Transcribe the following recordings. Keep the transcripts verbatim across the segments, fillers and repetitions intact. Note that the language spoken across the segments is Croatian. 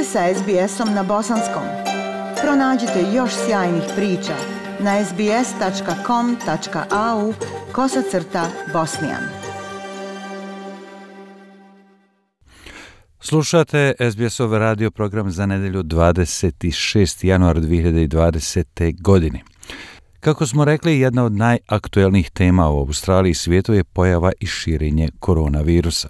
ste sa es be esom na bosanskom. Pronađite još sjajnih priča na es be es tačka com tačka a u kosacrta bosnijan. Slušate es be esov radio program za nedelju dvadeset šestog januara dve hiljade dvadesete. godine. Kako smo rekli, jedna od najaktuelnijih tema u Australiji i svijetu je pojava i širenje koronavirusa.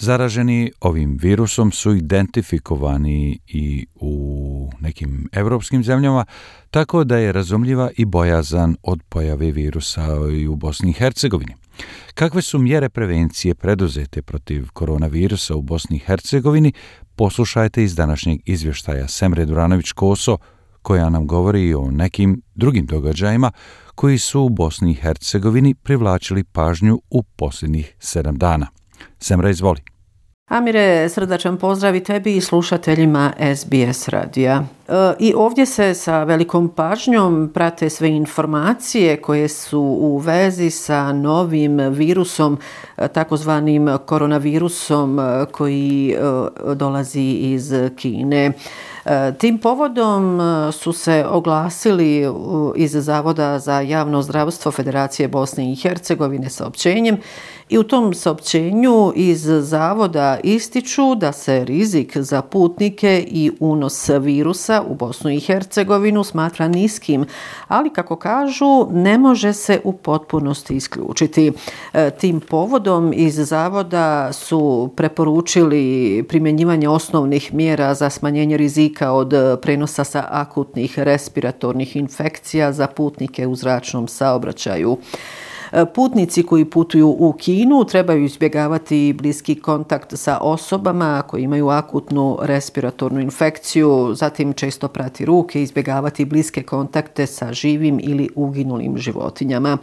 Zaraženi ovim virusom su identifikovani i u nekim evropskim zemljama, tako da je razumljiva i bojazan od pojave virusa i u Bosni i Hercegovini. Kakve su mjere prevencije preduzete protiv koronavirusa u Bosni i Hercegovini, poslušajte iz današnjeg izvještaja Semre Duranović-Koso, koja nam govori o nekim drugim događajima koji su u Bosni i Hercegovini privlačili pažnju u posljednjih sedam dana. Semra, izvoli. Amire, srdačan pozdrav i tebi i slušateljima es be es radija. E, I ovdje se sa velikom pažnjom prate sve informacije koje su u vezi sa novim virusom, takozvanim koronavirusom koji e, dolazi iz Kine. Tim povodom su se oglasili iz Zavoda za javno zdravstvo Federacije Bosne i Hercegovine saopćenjem i u tom saopćenju iz Zavoda ističu da se rizik za putnike i unos virusa u Bosnu i Hercegovinu smatra niskim, ali kako kažu ne može se u potpunosti isključiti. Tim povodom iz Zavoda su preporučili primjenjivanje osnovnih mjera za smanjenje rizika od prenosa sa akutnih respiratornih infekcija za putnike u zračnom saobraćaju. Putnici koji putuju u Kinu trebaju izbjegavati bliski kontakt sa osobama koji imaju akutnu respiratornu infekciju, zatim često prati ruke, izbjegavati bliske kontakte sa živim ili uginulim životinjama.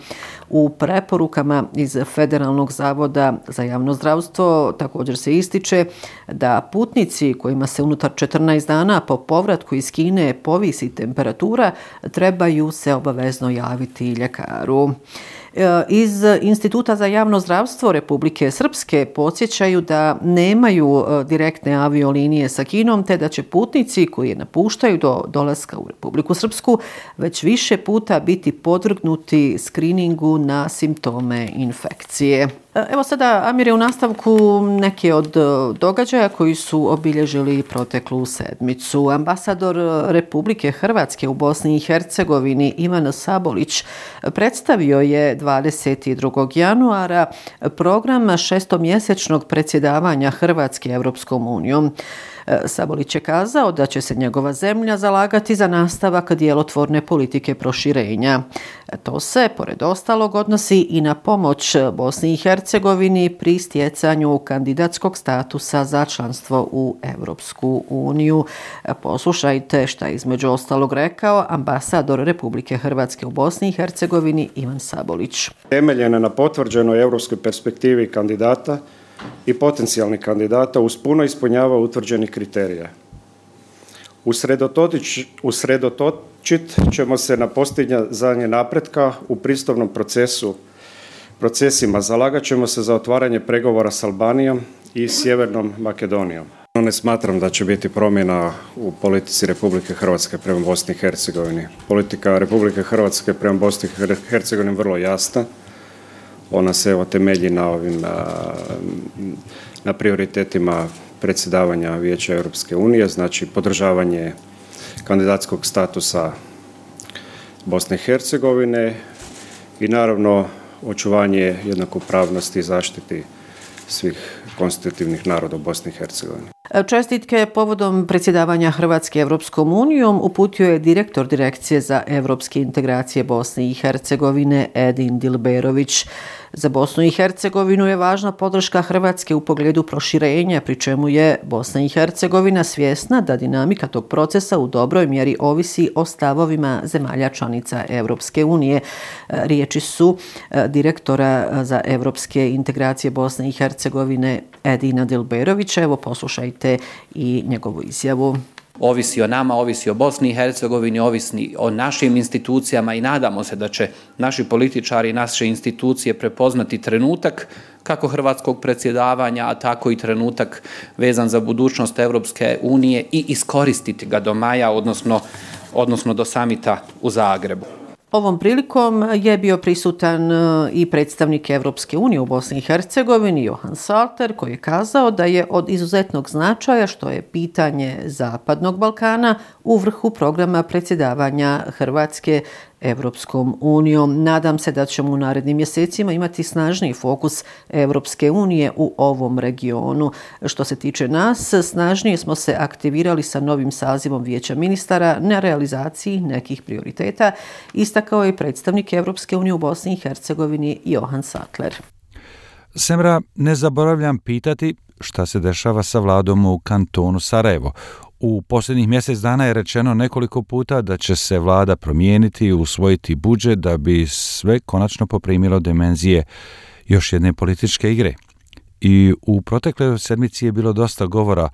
U preporukama iz Federalnog zavoda za javno zdravstvo također se ističe da putnici kojima se unutar četrnaest dana po povratku iz Kine povisi temperatura trebaju se obavezno javiti ljekaru. Iz Instituta za javno zdravstvo Republike Srpske podsjećaju da nemaju direktne aviolinije sa Kinom, te da će putnici koji je napuštaju do dolaska u Republiku Srpsku već više puta biti podvrgnuti skriningu na simptome infekcije. Evo sada, Amire, u nastavku neke od događaja koji su obilježili proteklu sedmicu. Ambasador Republike Hrvatske u Bosni i Hercegovini Ivan Sabolić predstavio je dvadeset drugog januara program šestomjesečnog predsjedavanja Hrvatske Europskom unijom. Sabolić je kazao da će se njegova zemlja zalagati za nastavak djelotvorne politike proširenja. To se, pored ostalog, odnosi i na pomoć Bosni i Hercegovini pri stjecanju kandidatskog statusa za članstvo u Europsku uniju. Poslušajte šta je između ostalog rekao ambasador Republike Hrvatske u Bosni i Hercegovini Ivan Sabolić. Temeljena na potvrđenoj europskoj perspektivi kandidata i potencijalnih kandidata uz puno ispunjava utvrđenih kriterija. Usredotočit ćemo se na postizanje napretka u pristupnom procesu, procesima. Zalagat ćemo se za otvaranje pregovora s Albanijom i Sjevernom Makedonijom. Ne smatram da će biti promjena u politici Republike Hrvatske prema Bosni i Hercegovini. Politika Republike Hrvatske prema Bosni i Hercegovini vrlo jasna. Ona se evo temelji na ovim na, na prioritetima predsjedavanja Vijeća Europske unije, znači podržavanje kandidatskog statusa Bosne i Hercegovine i naravno očuvanje jednakopravnosti i zaštiti svih konstitutivnih naroda u Bosni i Hercegovini. Čestitke povodom predsjedavanja Hrvatske Europskom unijom uputio je direktor Direkcije za europske integracije Bosne i Hercegovine Edin Dilberović. Za Bosnu i Hercegovinu je važna podrška Hrvatske u pogledu proširenja, pri čemu je Bosna i Hercegovina svjesna da dinamika tog procesa u dobroj mjeri ovisi o stavovima zemalja članica Europske unije. Riječi su direktora za europske integracije Bosne i Hercegovine Edina Dilberovića. Evo poslušajte i njegovu izjavu. Ovisi o nama, ovisi o Bosni i Hercegovini, ovisi o našim institucijama i nadamo se da će naši političari i naše institucije prepoznati trenutak kako hrvatskog predsjedavanja, a tako i trenutak vezan za budućnost Europske unije i iskoristiti ga do maja, odnosno, odnosno do samita u Zagrebu. Ovom prilikom je bio prisutan i predstavnik Europske unije u Bosni i Hercegovini, Johan Salter, koji je kazao da je od izuzetnog značaja što je pitanje Zapadnog Balkana u vrhu programa predsjedavanja Hrvatske Europskom unijom. Nadam se da ćemo u narednim mjesecima imati snažniji fokus Europske unije u ovom regionu. Što se tiče nas, snažnije smo se aktivirali sa novim sazivom Vijeća ministara na realizaciji nekih prioriteta, istakao je predstavnik Europske unije u Bosni i Hercegovini Johan Sattler. Semra, ne zaboravljam pitati šta se dešava sa vladom u kantonu Sarajevo. U posljednjih mjesec dana je rečeno nekoliko puta da će se vlada promijeniti i usvojiti budžet da bi sve konačno poprimilo dimenzije još jedne političke igre. I u protekloj sedmici je bilo dosta govora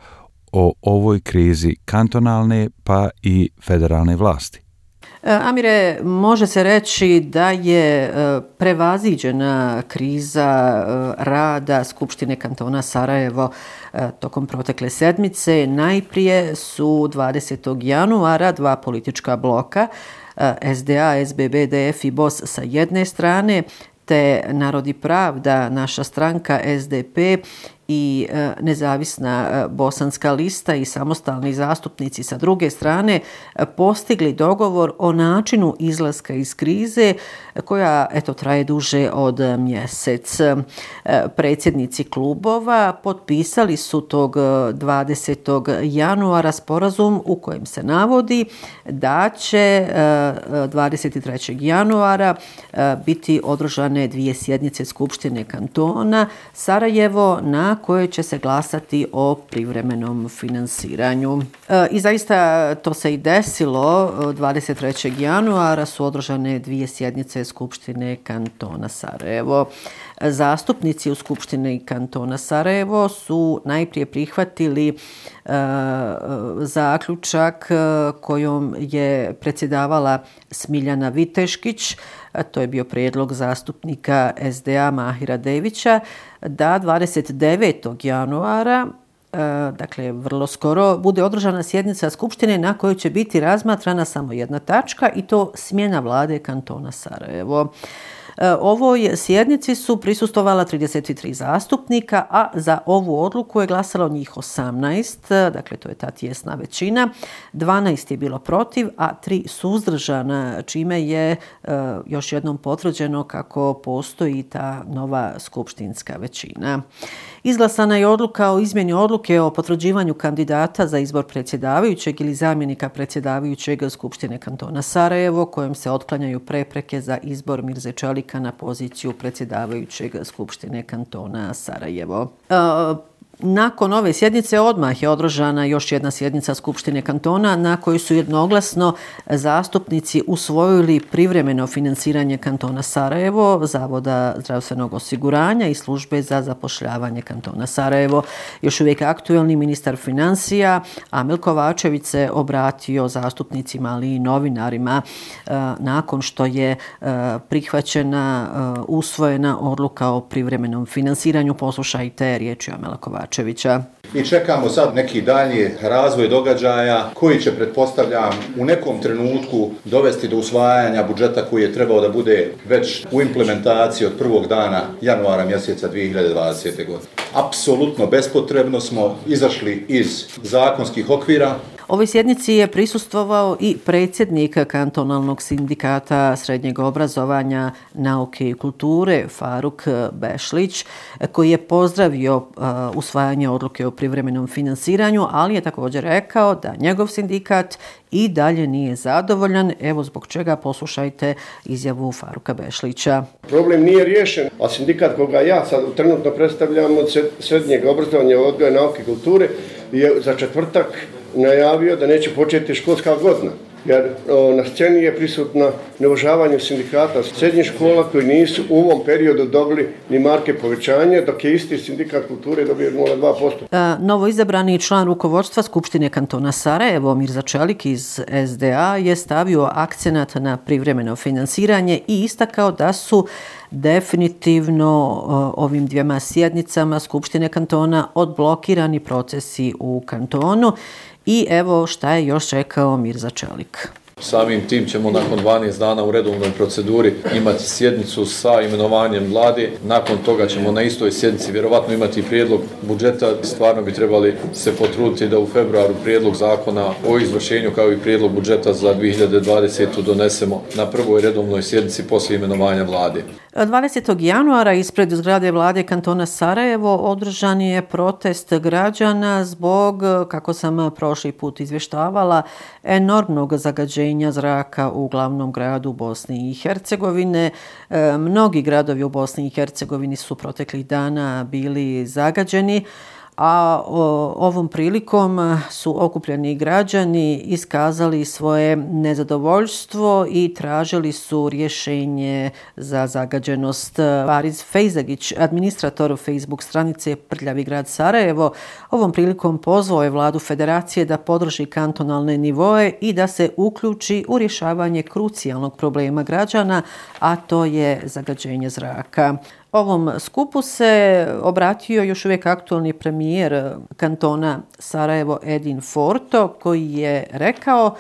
o ovoj krizi kantonalne pa i federalne vlasti. Amire, može se reći da je prevaziđena kriza rada Skupštine kantona Sarajevo tokom protekle sedmice. Najprije su dvadesetog januara dva politička bloka, S D A, S B B D F i B O S sa jedne strane, te Narod i pravda, naša stranka S D P i nezavisna bosanska lista i samostalni zastupnici sa druge strane postigli dogovor o načinu izlaska iz krize koja eto traje duže od mjesec. Predsjednici klubova potpisali su tog dvadesetog januara sporazum u kojem se navodi da će dvadeset trećeg januara biti održane dvije sjednice Skupštine kantona Sarajevo na koje će se glasati o privremenom finansiranju. E, I zaista to se i desilo. dvadeset trećeg januara su održane dvije sjednice Skupštine kantona Sarajevo. Zastupnici u Skupštini kantona Sarajevo su najprije prihvatili e, zaključak kojom je predsjedavala Smiljana Viteškić. To je bio prijedlog zastupnika S D A Mahira Devića da dvadeset devetog januara, dakle vrlo skoro, bude održana sjednica Skupštine na kojoj će biti razmatrana samo jedna tačka i to smjena vlade kantona Sarajevo. Ovoj sjednici su prisustvovala trideset tri zastupnika, a za ovu odluku je glasalo njih osamnaest, dakle to je ta tjesna većina. dvanaest je bilo protiv, a tri suzdržana, čime je uh, još jednom potvrđeno kako postoji ta nova skupštinska većina. Izglasana je odluka o izmjeni odluke o potvrđivanju kandidata za izbor predsjedavajućeg ili zamjenika predsjedavajućeg Skupštine kantona Sarajevo, kojom se otklanjaju prepreke za izbor Mirze Čelika na poziciju predsjedavajućeg Skupštine kantona Sarajevo. E, Nakon ove sjednice odmah je održana još jedna sjednica Skupštine kantona na kojoj su jednoglasno zastupnici usvojili privremeno finansiranje kantona Sarajevo, Zavoda zdravstvenog osiguranja i službe za zapošljavanje kantona Sarajevo. Još uvijek aktuelni ministar financija Amil Kovačević se obratio zastupnicima, ali i novinarima nakon što je prihvaćena, usvojena odluka o privremenom finansiranju. Poslušajte riječi Amila Kovačevića. I čekamo sad neki dalji razvoj događaja koji će, pretpostavljam, u nekom trenutku dovesti do usvajanja budžeta koji je trebao da bude već u implementaciji od prvog dana januara mjeseca dvije hiljade dvadesete. godine. Apsolutno bespotrebno smo izašli iz zakonskih okvira. Ovoj sjednici je prisustvovao i predsjednik kantonalnog sindikata srednjeg obrazovanja, nauke i kulture Faruk Bešlić, koji je pozdravio uh, usvajanje odluke o privremenom finansiranju, ali je također rekao da njegov sindikat i dalje nije zadovoljan. Evo zbog čega, poslušajte izjavu Faruka Bešlića. Problem nije riješen, a sindikat koga ja sad trenutno predstavljam od srednjeg obrazovanja, odgoja, nauke i kulture je za četvrtak najavio da neće početi školska godina. jer o, na sceni je prisutna neuvažavanje sindikata srednjih škola koji nisu u ovom periodu dobili ni marke povećanja, dok je isti sindikat kulture dobio nula zarez dva posto. Novo izabrani član rukovodstva Skupštine kantona Sarajevo, Mirza Čelik iz S D A, je stavio akcenat na privremeno finansiranje i istakao da su definitivno ovim dvijema sjednicama Skupštine kantona odblokirani procesi u kantonu. I evo šta je još rekao Mirza Čelik. Samim tim ćemo nakon dvanaest dana u redovnoj proceduri imati sjednicu sa imenovanjem vlade. Nakon toga ćemo na istoj sjednici vjerovatno imati prijedlog budžeta. Stvarno bi trebali se potruditi da u februaru prijedlog zakona o izvršenju kao i prijedlog budžeta za dvije hiljade dvadesetu donesemo na prvoj redovnoj sjednici poslije imenovanja vlade. dvadesetog januara ispred zgrade vlade kantona Sarajevo održan je protest građana zbog, kako sam prošli put izvještavala, enormnog zagađenja zraka u glavnom gradu Bosne i Hercegovine. E, mnogi gradovi u Bosni i Hercegovini su proteklih dana bili zagađeni, a o, ovom prilikom su okupljeni građani iskazali svoje nezadovoljstvo i tražili su rješenje za zagađenost. Fariz Fejzagić, administrator Facebook stranice Prljavi grad Sarajevo, ovom prilikom pozvao je vladu federacije da podrži kantonalne nivoe i da se uključi u rješavanje krucijalnog problema građana, a to je zagađenje zraka. Ovom skupu se obratio još uvijek aktualni premijer kantona Sarajevo Edin Forto, koji je rekao: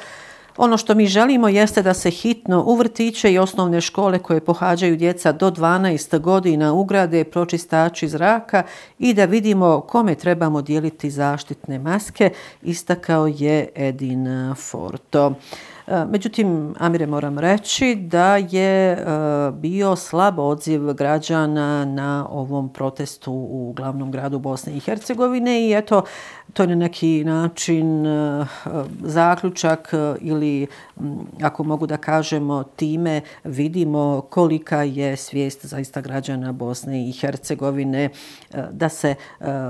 ono što mi želimo jeste da se hitno u vrtiće i osnovne škole koje pohađaju djeca do dvanaest godina ugrade pročistači zraka i da vidimo kome trebamo dijeliti zaštitne maske, istakao je Edin Forto. Međutim, Amire, moram reći da je bio slab odziv građana na ovom protestu u glavnom gradu Bosne i Hercegovine i eto, to je na neki način zaključak ili, ako mogu da kažemo, time vidimo kolika je svijest zaista građana Bosne i Hercegovine da se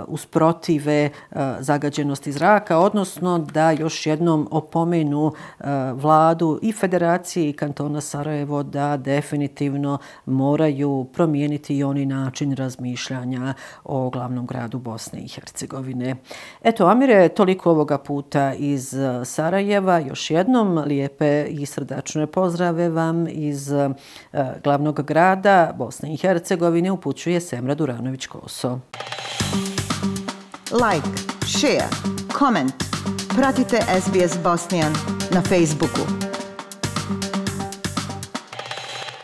usprotive zagađenosti zraka, odnosno da još jednom opomenu vladu i federacije i kantona Sarajevo da definitivno moraju promijeniti i oni način razmišljanja o glavnom gradu Bosne i Hercegovine. Eto, Amire, toliko ovoga puta iz Sarajeva. Još jednom lijepe i srdačne pozdrave vam iz uh, glavnog grada Bosne i Hercegovine upućuje Semra Duranović-Koso. Like, share, comment. Pratite S B S Bosnian na Facebooku.